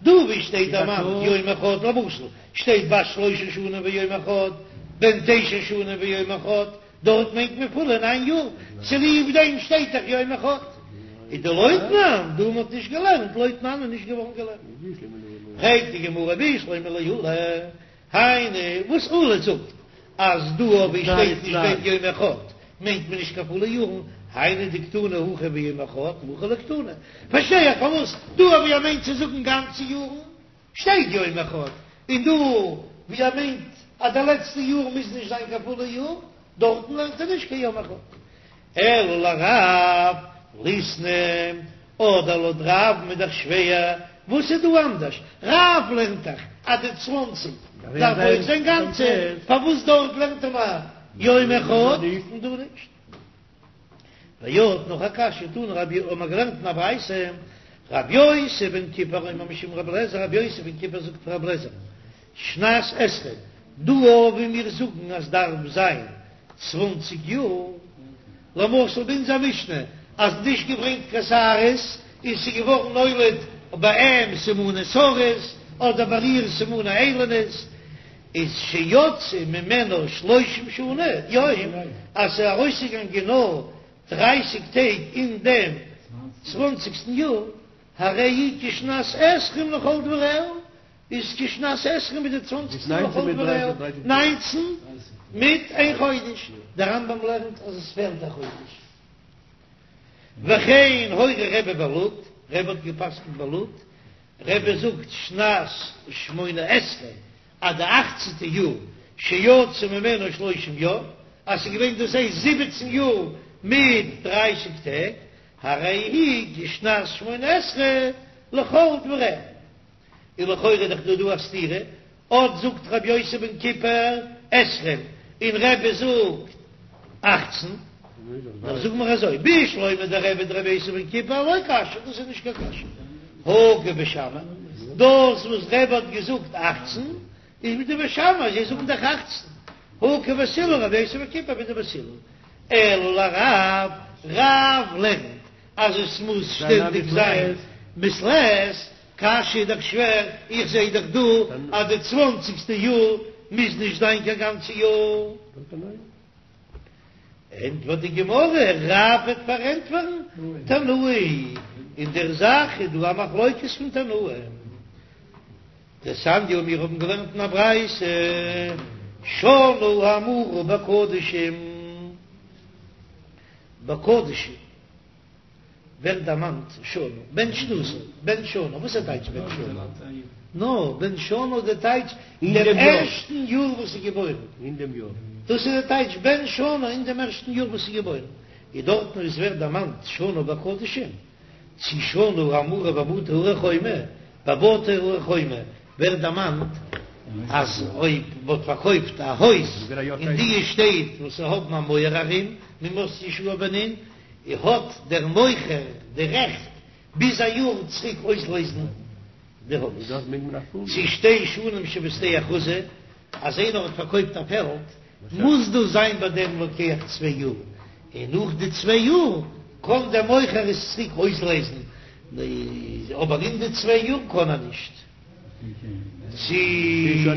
דא ווי שטייט דערמאנט יום אחד, למשל שטייט בת שלוש שנים ויום אחד, בן תשע שנים ויום אחד, דארט מיינט מען פולע ניין יאר, צוליב דעם שטייט דאך יום אחד. איז דלא תנן, דא מ'האט נישט געלערנט לא תנן איז נישט געווארן געלערנט. פרעגט די גמרא בשלמא לעולא, היינו וואס עולא זאגט אז דא ווי שטייט נישט בן יום אחד מיינט מען נישט קיין פולע יארן, היינו דקתני הכא ביום אחד והכא לא קתני, פארשטיי איך פארוואס דא ווי ער מיינט צו זאגן גאנצע יארן שטייט יום אחד, און דא ווי ער מיינט אז די לעצטע יאר מוז נישט זיין קיין פולע יאר, דארטן לערנט ער נישט קיין יום אחד. אלא לרב ליתני, אדער לויט רב'ן איז דאך שווער, וואס איז דא אנדערש? רב לערנט דאך אז די צוואנציג דארף אויך זיין גאנצע, פארוואס דארט לערנט ער נאר יום אחד און דא נישט? ועוד נאך א קשיא, תנא רבי האבן מיר געלערנט אין א ברייתא, רבי יוסי בן כיפר אומר משום רבי אליעזר, רבי יוסי בן כיפר זאגט פון רבי אליעזר, שנת עשרים, דא ווי מיר זאגן אז דארף זיין צוואנציג יאר, למשל ביי אונזער משנה אז נישט געברענגט קיין שערות און ס'איז געווארן נולד ביי אים סימני סריס אדער ביי איר סימני איילונית, איז שיצאו ממנה שלושים שנה יום, אז ס'איז ארויסגעגאנגען נאר דרייסיג טעג אין דעם צוואנציגסטן יאר, הרי היא כשנת עשרים לכל דבריה, איז כשנת עשרים מיט די צוואנציגסטן לכל דבריה, ניינצן מיט איין חודש, דער רמב"ם לערנט אז עס פעלט א חודש. וכן הורה רבי בלוד, רבי האט גע'פסק'נט בלוד, רבי זאגט שנת שמונה עשרה אז די אכצענטע יאר שיצא ממנה שלושים יום, אז ס'איז געווען דאס הייסט זיבעצן יאר מיט דרייסיג טעג, הרי היא כשנת שמונה עשרה לכל דבריה. און לכאורה איז דאך דא דא א סתירה, אט זאגט רבי יוסי בן כיפר עשרים און רבי זאגט אכצן, נאר זאג מיר אזוי, בשלמא דרבי דרבי יוסי בן כיפר לא קשיא, דאס איז נישט קיין קשיא, הא כבית שמאי, דאס וואס רבי האט געזאגט אכצן איז מיט די בית שמאי, זיי זאגן דאך אכצן, הא כבית הלל רבי יוסי בן כיפר מיט די בית הלל, אלא לרב, רב לערנט אז עס מוז שטענדיג זיין מעת לעת, קשיא איז דאך שווער, איך זעה דאך דא אז די צוואנציגסטע יאר מוז נישט זיין קיין גאנצע יאר. ענטפערט די גמרא, רב וועט פארענטפערן תנאי, אין דער זאך איז דא א מחלוקת פון תנאים. דתניא, מיר האבן געלערנט אין א ברייתא, שנה האמורה בקדשים, בקדשים. ווערט דערמאנט שנה, בן שנתו, בן שנה, וואס איז טייטש בן שנה? נא, בן שנה איז די טייטש אין דעם ערשטן יאר וואס איז געבוירן, אין דעם יאר, דאס איז די טייטש בן שנה אין דעם ערשטן יאר וואס איז געבוירן, איז דארטן וואו עס ווערט דערמאנט שנה בקדשים, צו שנה האמורה בבתי ערי חומה, ביי בתי ערי חומה ווערט דערמאנט אז אויב מען האט פארקויפט א הויז אין די שטעט וואס האבן א מויער ארום מימות יהושע בן נון, האט דער מוכר די רעכט ביז א יאר צוריק אויסלעזן די הויז. צו שתי שנים שבשדה אחוזה, אז איינער האט פארקויפט א פעלד מוז דאס זיין ביי דעם לוקח צוויי יאר, און נאך די צוויי יאר קען דער מוכר עס צוריק אויסלעזן, אבער אין די צוויי יאר קען ער נישט. צו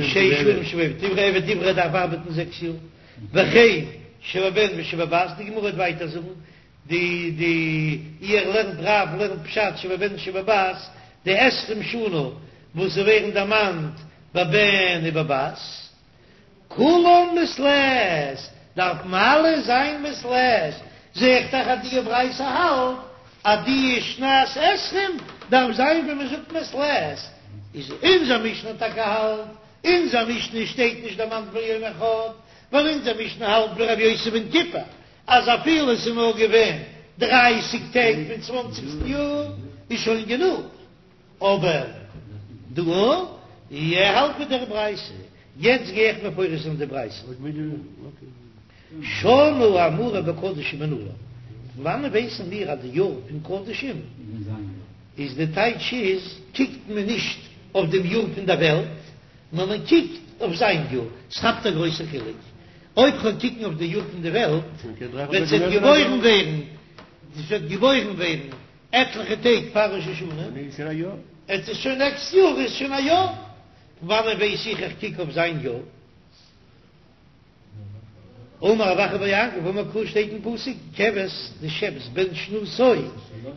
שש שנים שבעבד עברי, עבד עברי דארף ארבעטן זעקס יאר, וכן שבבן ושבבת, די גמרא וועט ווייטער זאגן, די די איר לערנט רב לערנט פשט שבבן שבבת, די עשרים שנה וואס זיי ווערן דערמאנט בבן ובבת. כולן מעת לעת, דארפן אלע זיין מעת לעת, זע איך דאך אז די ברייתא האלט אז די שנת עשרים דארף זיין ווי מען זאגט מעת לעת, איז אונזער משנה טאקע האלט, אונזער משנה שטייט נישט דערמאנט ביום אחד, ווייל אונזער משנה האלט ווי רבי יוסי בן כיפר אז אפילו עס איז נאר געווען דרייסיג טעג פון צוואנציגסטן יאר איז שוין גענוג. אבער דא ער האלט מיט דער ברייתא, יעצט גיי איך מפרש זיין די ברייתא. שנה האמורה בקדשים מנלן, פון וואנען ווייסן מיר אז די יאר פון קדשים איז די טייטש איז קוקט מען נישט אויף דעם יאר פון דער וועלט נאר מען קוקט אויף זיין יאר, ס'כאפט א גרויסע חילוק אויב כ'וועל קוקן אויף די יאר פון די וועלט וועט זי געבוירן ווערן, זי וועט געבוירן ווערן עטליכע טעג פאר ראש השנה, עס איז שוין נעקסט יאר איז שוין א יאר, פון וואנען ווייס איך איך קוק אויף זיין יאר? אמר רב אחא בר יעקב אמר קרא שטייט אין פסוק כבש די שעפס בן שנתו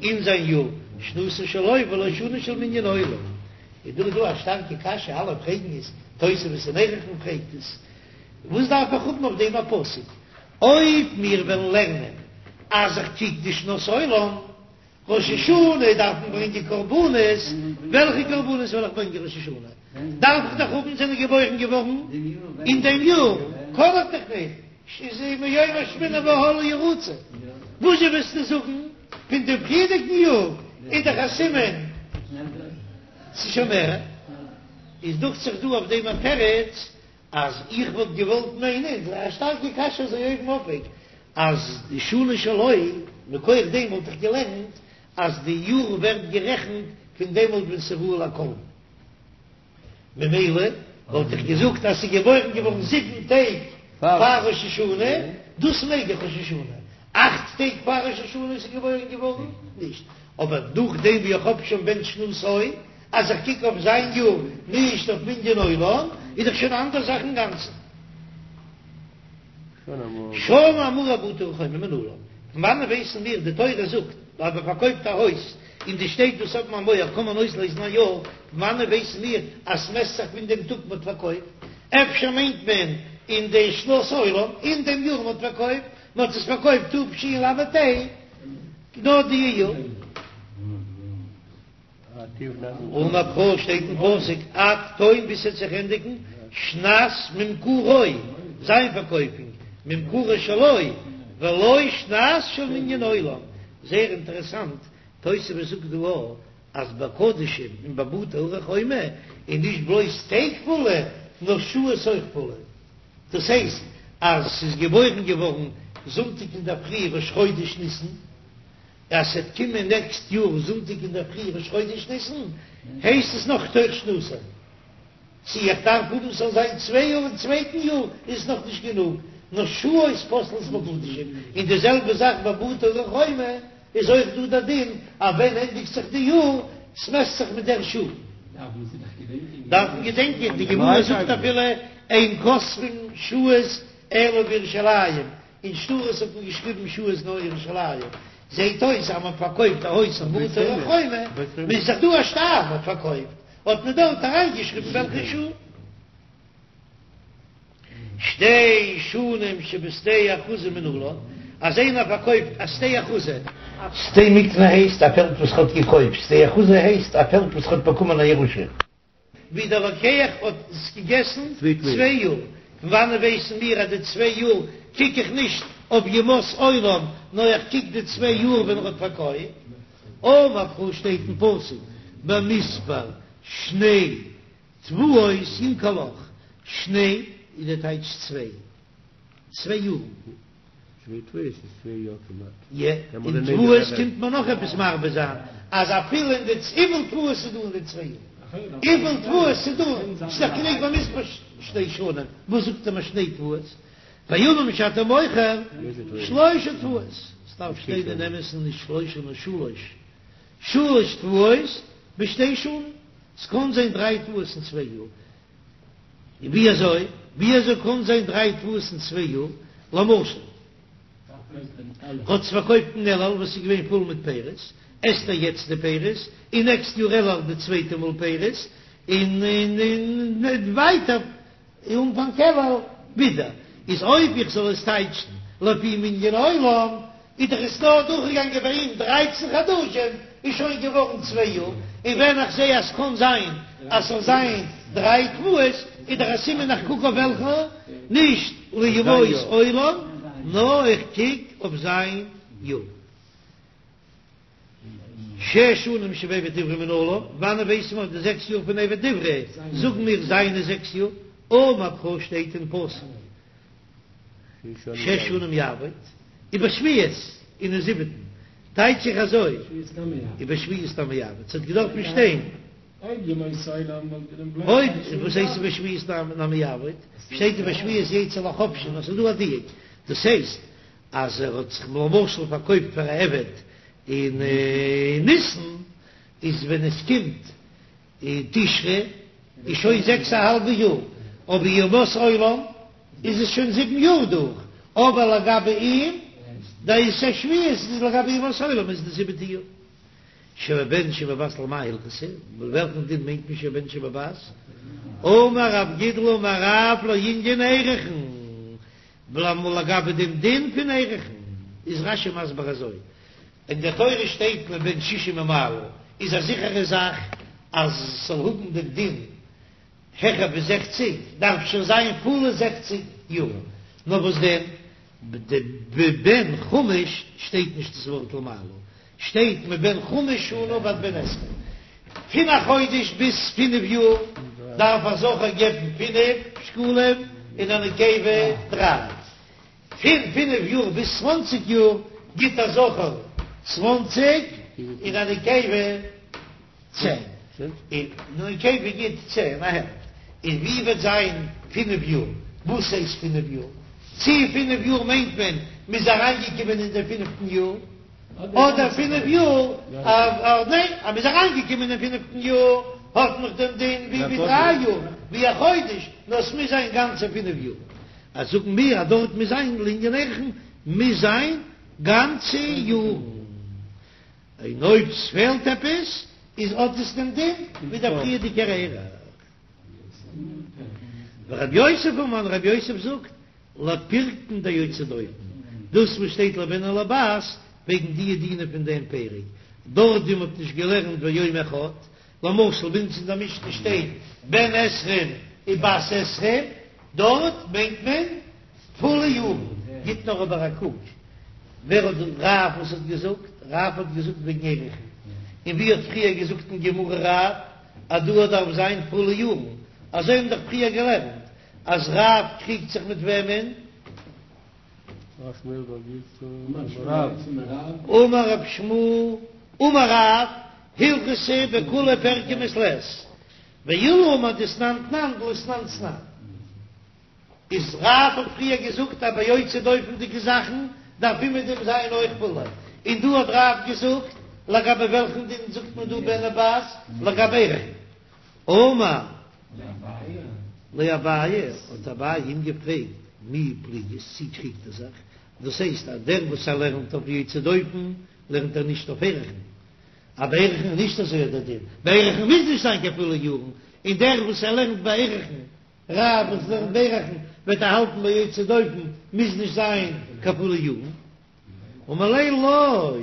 אין זיין יאר, שנתו שלו ולא שנה של מנין עולם, איז דא דא א שטארקע קשיא אלע פרעגן עס, תוספות אין ערכין פרעגט עס, וואס דארף איך האבן אויף דעם א פסוק? אויב מיר וועלן לערנען אז איך קוק די שנות עולם, ראש השנה דארף מען ברענגען קרבנות, וועלכע קרבנות וועל איך ברענגען ראש השנה? דארף איך דאך האבן זענען געבוירן געווארן אין דעם יאר, קען איך דאך נישט, איז מיום השמיני והלאה ירוצו, וואזשע וועסטו זאגן פון דעם פריערדיגן יאר איז דאך א סימן ס'איז שוין מער, איז דוכט זיך דא אויף דעם א תירוץ אז איך וואלט געוואלט מיינען, ס'איז א שטארקע קשיא אזוי אויבן אויף, אז די שנה שלו, מכח דעם וואלט איך געלערנט אז די יאר ווערט גערעכנט פון דעמאלט ווען ס'איז ראוי לקרבן, ממילא וואלט איך געזאגט אז ס'איז געבוירן געווארן זיבן טעג פאר ראש השנה, דאס מעג איך ראש השנה, אכט טעג פאר ראש השנה איז געבוירן געווארן, נישט, אבער נאכדעם ווי איך האב שוין בן שנתו, אז איך קוק אויף זיין יאר, נישט אויף מנין עולם, איז דאך שוין א אנדער זאך אינגאנצן. שנה האמורה בבתי ערי חומה מנלן, פון וואנען ווייסן מיר, די תורה זאגט אז מען פארקויפט א הויז אין די שטעט וואס האבן א מויער קען מען אויסלעזן א יאר, פון וואנען ווייסן מיר אז ס'מעסט זיך פון דעם טאג מען האט פארקויפט? אפשר מיינט מען אין די שנת עולם, אין דעם יאר מען האט פארקויפט, מען האט עס פארקויפט תשל"ה, נאר די יאר. אמר קרא שטייט אין פסוק עד תום ביז ס'עט זיך ענדיגן שנת ממכרו זיין פארקויפונג ממכרו שלו ולא שנת של מנין עולם, זייער אינטערעסאנט, תוספות זאגט דא אז ביי קדשים און ביי בתי ערי חומה איז נישט בלויז טעג פולע נאר שעות אויך פולע, דאס הייסט אז ס'איז געבוירן געווארן זונטאג אינדערפרי ראש חודש ניסן, אז ס'עט קומען נעקסט יאר זונטאג אינדערפרי ראש חודש ניסן, הייסט עס נאך תוך שנתו. צו איך דארף האבן ס'זאל זיין צוויי יאר אין צווייטן יאר איז עס נאך נישט גענוג, נאר שעות פוסלות בקדשים, און די זעלבע זאך ביי בתי ערי חומה איז אויך דא דער דין אז ווען ענדיגט זיך די יאר, ס'מעסט זיך מיט דער שעה. דארף מען געדענקען, די גמרא זאגט אפילו אין כותבין שעות אלא בירושלים, אין שטרות האט מען געשריבן שעות נאר ירושלים, זעהט אויס אז מען פארקויפט א הויז אין בתי ערי חומה, איז דאך דא א שטר מען האט פארקויפט, האט מען דארט אריינגעשריבן וועלכע שעה. שתי שנים שבשדה אחוזה מנלן, אז איינער פארקויפט א שדה אחוזה. שדה מקנה הייסט א פעלד וואס ר'האט געקויפט, שדה אחוזה הייסט א פעלד וואס ר'האט באקומען א ירושה. ווי דער לוקח האט עס געגעסן צוויי יאר, פון וואנען ווייסן מיר אז די צוויי יאר קוק איך נישט אויף ימות עולם, נאר איך קוק די צוויי יאר ווען ער האט פארקויפט. אמר קרא שטייט אין פסוק במספר שני תבואות ימכר לך, שני איז די טייטש צוויי, צוויי יארן. שני תבואות איז צוויי יאר כמעט. יע, און תבואות קומט מען נאך עפעס מרבה זיין, אז אפילו אין די וויפיל תבואות איז דא אין די צוויי יאר, וויפיל תבואות איז דא, ס'איז דאך גענוג במספר שתי שנים, וואס זאגט ער מיר שני תבואות? פעמים שאתה מוכר שלושה תבואות, ס'דארף שטיין אין אמת'ן נישט שלושה נאר שלש, שלש תבואות בשתי שנים, ס'קען זיין דריי תבואות אין צוויי יאר, ווי אזוי? ווי אזוי קען זיין דריי תבואות אין צוויי יאר? למשל, האט עס פארקויפט אין אלול וואס איז געווען פול מיט פירות, עסט ער יעצט די פירות, און נעקסט יאר אלול די צווייטע מאל פירות, און און ווייטער אנפאנג אלול ווידער. איז אויב איך זאל עס טייטשן לפי מנין עולם, איז דאך עס נאר דורכגעגאנגען ביי אים דרייצן חדשים, איז שוין געווארן צוויי יאר, און ווען איך זע אז ס'קען זיין אז ס'זאל זיין דריי תבואות, איז דאך א סימן איך קוק אויף וועלכע, נישט לימות עולם, נאר איך קוק אויף זיין יאר. שש שנים שבעבד עברי מנלן, וואנען ווייסן מיר די זעקס יאר פון עבד עברי, זאגן מיר זיינע זעקס יאר, אמר קרא שטייט אין פסוק. שש שנים יעבוד, ובשביעית און אין זיבעטן, טייטש איך אזוי, ובשביעית נמי יעבוד, ס'האט געדארפט שטיין, אויב וואס הייסט ובשביעית נמי יעבוד, שטייט ובשביעית יצא לחופשי, נאר ס'איז דא א דיוק, דאס הייסט אז ער האט זיך למשל פארקויפט פאר א עבד אין ניסן, איז ווען עס קומט אין תשרי איז שוין זעקס א האלבע יאר, אבער ימות עולם איז עס שוין זיבן יאר דורך, אבער לגבי אים די שביעית איז לגבי ימות עולם איז די זיבעטע יאר. שבבן שבבת למאי הלכתא, מיט וועלכן דין מיינט מען שבבן שבבת? אמר רב גידל אמר רב לענין ערכין, לגבי דעם דין פון ערכין איז רש"י מסביר אזוי, אין דער תורה שטייט מבן שישים ומעלה, איז א זיכערע זאך אז ס'זאל האבן דעם דין העכער ווי זעכציג, דארף שוין זיין פולע זעכציג יאר, נאר וואס דען, בבן חמש שטייט נישט דאס ווארט למעלה, שטייט מבן חמש שנה ועד בן עשרים, פון א חודש ביז פינף יאר דארף א זכר געבן פינף שקלים און א נקבה דריי. פון פינף יאר ביז צוואנציג יאר גיט א זכר צוואנציג און א נקבה צען, און נקבה גיט צען א העלפט, און ווי וועט זיין פינף יאר? וואס הייסט פינף יאר? צי פינף יאר מיינט מען מ'איז אריינגעקומען אין די פינפטן יאר, אדער פינף יאר ניין אז מ'איז אריינגעקומען אין פינפטן יאר האט נאך דעם דין ווי ווי דריי יאר ווי א חודש, נאר ס'מוז זיין גאנצע פינף יאר. אז זאגן מיר אז דארט מוז זיין לענין ערכין מוז זיין גאנצע יארן, און אויב ס'פעלט עפעס איז האט עס דעם דין ווי דער פריערדיגער ערך. ורב יוסף אמר, רב יוסף זאגט, לפירקין דיוצא דופן, דאס וואס שטייט לבן או לבת וועגן די דינים פון דעם פרק, דארט ווי מ'האט נישט געלערנט ויום אחד, למשל ביי אונז אין דער משנה שטייט בן עשרים ובת עשרים, דארט מיינט מען פולע יארן, גיט נאר אבער א קוק ווער האט רב וואס האט געזאגט, רב האט געזאגט וועגן ערכין, און ווי האט פריער געזאגט אין גמרא רב אז דא דארף זיין פולע יארן, אזוי האבן דאך פריער געלערנט אז רב קריגט זיך מיט וועמען? אמר רב שמואל אמר רב, הלכתא בכוליה פרקי מעת לעת, ועולא אמר דתנן תנן ולא תנן תנן. איז רב האט פריער געזאגט אז ביי יוצא דופן'דיגע זאכן דארף אומעדום זיין אויך פולע, און דא האט רב געזאגט לגבי וועלכן דין זאגט מען דא בן ובת לגבי ערכין. אמר ליה אביי, האט אביי אים געפרעגט, מי פליגת, צי קריגט ער זיך, דאס הייסט אז דער וואס ער לערנט אויף יוצא דופן לערנט ער נישט אויף ערכין, אז ביי ערכין איז נישט אזוי דער דין, ביי ערכין מוז נישט זיין קיין פולע יארן, און דער וואס ער לערנט ביי ערכין, רב וואס לערנט ביי ערכין וועט ער האלטן ביי יוצא דופן מוז נישט זיין קיין פולע יארן, אמר ליה לא.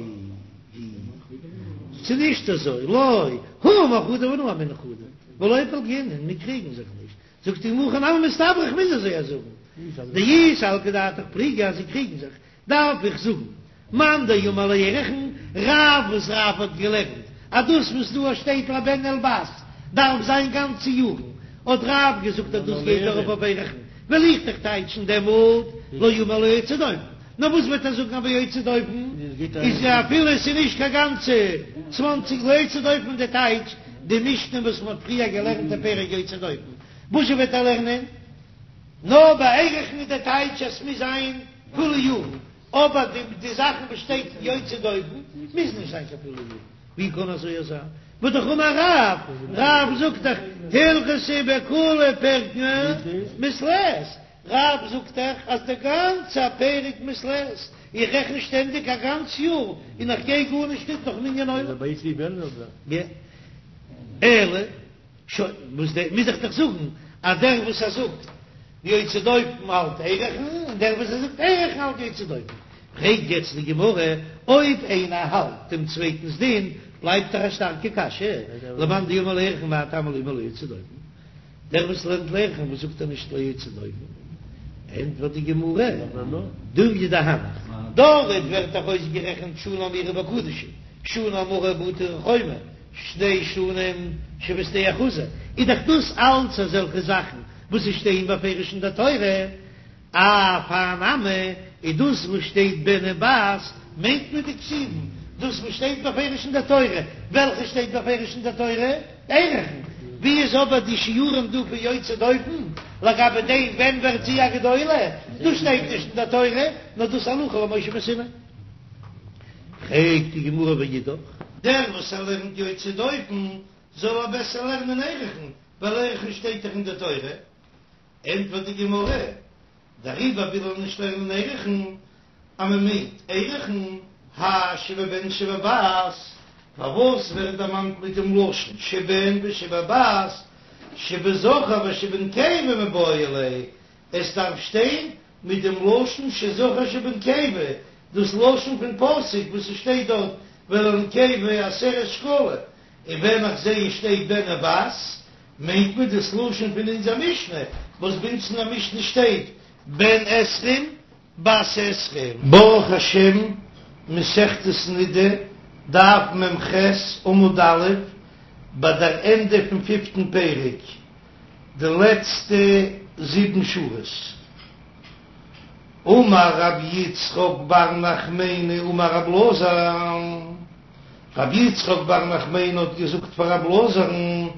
ס'איז נישט אזוי, לא, הוא אמר חדא ואנא אמינא חדא, ולא פלגינן, מיר קריגן זיך נישט, זאגט די גמרא הכי נמי מסתברא איך מוז אזוי זאגן, דאי סלקא דעתך פליגי אז זיי קריגן זיך, דארף איך זאגן מאן דאמר לערכין, רב וואס רב האט געלערנט אז דאס וואס דא שטייט לבן ולבת דארף זיין גאנצע יארן, האט רב געזאגט אז דאס גייט ארויף אויף ערכין, וועל איך דאך טייטשן דעמאלט לא אמר לא יוצא דופן, נאר וואס וועט ער זאגן אז ביי יוצא דופן איז אפילו עס איז נישט קיין גאנצע צוואנציג לא יוצא דופן די טייטש די משנה וואס מען האט פריער געלערנט אין פרק יוצא דופן, וואזשע וועט ער לערנען? נאר ביי ערכין איז די טייטש אז ס'מוז זיין פולע יארן, אבער די די זאכן וואס שטייט אין יוצא דופן מוז נישט זיין קיין פולע יארן, ווי קען אזוי זיין? והא דאך אמר רב, רב זאגט דאך הלכתא בכוליה פירקין מעת לעת, רב זאגט דאך אז די גאנצע פרק מעת לעת, איך רעכן שטענדיג א גאנץ יאר און איך גיי גארנישט ניט נאך מנין עולם. אלא. שוין, וואס דער, מוז איך דאך זאגן אז דער וואס ער זאגט יוצא דופן האלט ערכין, און דער וואס ער זאגט ערכין האלט יוצא דופן. פרעגט יעצט די גמרא, אויב איינער האלט דעם צווייטנס דין, בלייבט דאך א שטארקע קשיא, למאן דאמר לערכין מאי טעמא לא אמר לא יוצא דופן? דער וואס לערנט לערכין וואס זאגט ער נישט לא יוצא דופן? ענטפערט די גמרא, דומיא דהנך, דארט ווערט דאך אויסגערעכנט שנה האמורה בקדשים, שנה האמורה בבתי ערי חומה, שתי שנים שבשדה אחוזה, איז דאך דאס אלץ אזעלכע זאכן וואס עס שטייען בפירוש אין דער תורה, אף הא נמי, איז דאס וואס שטייט בן ובת מיינט מען דכתיבן, דאס וואס שטייט בפירוש אין דער תורה, וועלכע שטייט בפירוש אין דער תורה? ערכין, ווי איז אבער די שיעורים דא פון יוצא דופן לגבי דעם ווען ווערט זי א גדולה, דאס שטייט נישט אין דער תורה, נאר דאס הלכה למשה מסיני. פרעגט די גמרא ואידך. דער וואס ער לערנט יוצא דופן זאל ער בעסער לערנען ערכין, ווייל ערכין שטייט דאך אין די תורה. ענטפערט די גמרא, דעריבער וויל ער נישט לערנען ערכין, אז מען מיינט ערכין, האי שבבן שבבת, פארוואס ווערט דערמאנט מיט דעם לשון שבן ושבבת, שבזכר ושבנקבה מיבעי ליה, עס דארף שטיין מיט דעם לשון שזכר שבנקבה, דאס לשון פון פסוק וואס עס שטייט דארט ולנקבה עשרת שקלים, און ווען איך זעה עס שטייט בן ובת, מיינט מען דאס לשון פון אונזער משנה, וואס ביי אונז אין דער משנה שטייט בן עשרים בת עשרים. ברוך השם, מסכת נדה, דף מ"ח, עמוד א', ביי דער ענדע פון פיפטן פרק. די לעצטע זיבן שורות. אמר רבי יצחק בר נחמני אמר רב אלעזר, רבי יצחק בר נחמני האט געזאגט פאר רב אלעזר'ן,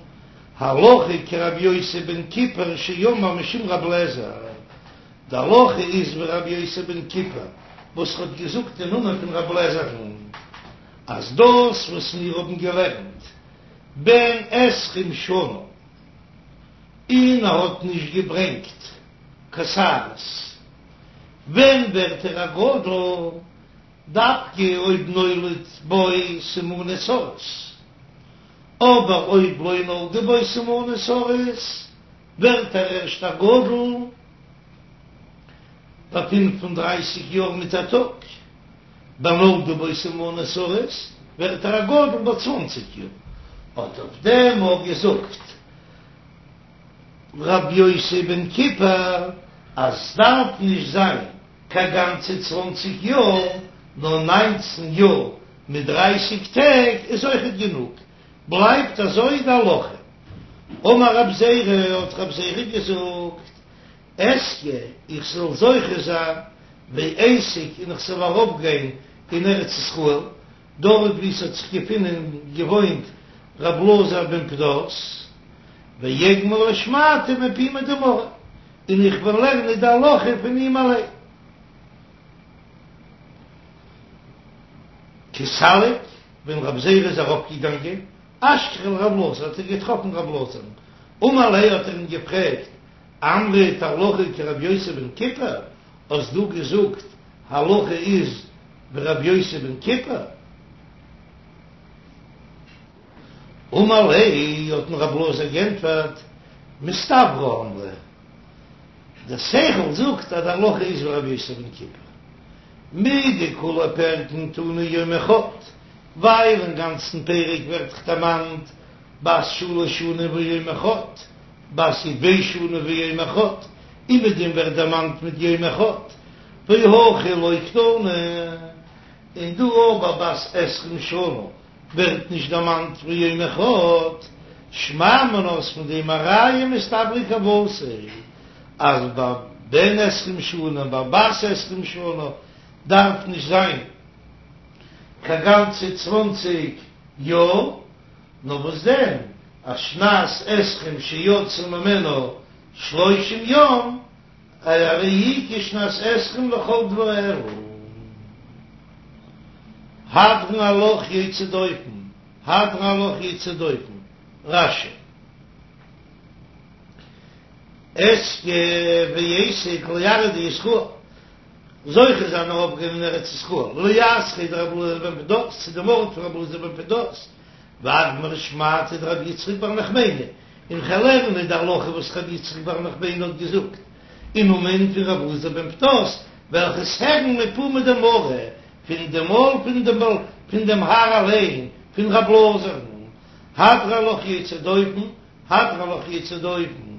הלכה כרבי יוסי בן כיפר שאמר משום רב לעזר, די הלכה איז ווי רבי יוסי בן כיפר וואס האט געזאגט אין נאמען פון רב לעזר'ן, אז דאס וואס מיר האבן געלערנט בן עשרים שנה, און ער האט נישט געברענגט קיין שערות, ווען ווערט ער א גדול? דווקא אויב נולד בו סימני סריס, אבער אויב לא נולדו בו סימני סריס ווערט ער ערשט א גדול ביי פינף און דרייסיג יאר מיט א טאג. ביי נולדו בו סימני סריס ווערט ער א גדול ביי צוואנציג יאר, האט אויף דעם אויך געזאגט ר' יוסי בן כיפר אז סדארף נישט זיין קיין גאנצע צוואנציג יאר נאר ניינצן יאר מיט דרייסיג טעג איז אויכעט גענוג, בלייבט אזוי די הלכה. אמר רב זירא האט רב זירא געזאגט אזכה איך זאל זוכה זיין ואיתיק און איך זאל ארויפגיין אין ארץ ישראל, דארט וואו ס'האט זיך געפונען געוואוינט ר' אלעזר בן פדת, ואגמרה שמעתא מפומיה דמריה, און איך וועל לערנען די הלכה פון אים אליין. כי סליק, ווען רב זירא איז ארויפגעגאנגען, אשכחיה לר' אלעזר האט ער געטראפן ר' אלעזר'ן, אמר ליה האט ער אים געפרעגט, אמרת הלכה כרבי יוסי בן כיפר, האסט דו געזאגט הלכה איז ווי רבי יוסי בן כיפר? אמר ליה, האט אים רב אלעזר גענטפערט, מסתברא אמרי, דער שכל זאגט אז די הלכה איז ווי רבי יוסי בן כיפר, מדכולהו פרקין תנא יום אחד. ווייל אין גאנצן פרק ווערט דאך דערמאנט בת שלש שנים ויום אחד, בת י"ב שנה ויום אחד, אומעדום ווערט דערמאנט מיט יום אחד, והכא לא קתני, און דא אבער בת עשרים שנה ווערט נישט דערמאנט ויום אחד, שמע מינה איז פון דעם א ראיה מסתברא כוותיה אז ביי בן עשרים שנה און ביי בת עשרים שנה דארף נישט זיין קיין גאנצע צוואנציג יאר, נאר וואס דען אז שנת עשרים שיצאו ממנה שלושים יום הרי היא כשנת עשרים לכל דבריה. הדרן עלך יוצא דופן, הדרן עלך יוצא דופן, רש"י. אזכה ואשג לארעא דישראל, זוכה זיין ארויפגיין אין ארץ ישראל, לאתריה דרבי אלעזר בן פדת, צו דעם ארט פון רבי אלעזר בן פדת, ואגמר שמעתא דרבי יצחק בר נחמני, און כ'וועל לערנען די הלכה וואס רבי יצחק בר נחמני האט געזאגט אין נאמען פון רבי אלעזר בן פדת, וועל איך עס הערן מפומיה דמרא, פון דעם מויל פון דעם פון דעם האר אליין, פון רבי אלעזר'ן, הדרן עלך יוצא דופן, הדרן עלך יוצא דופן.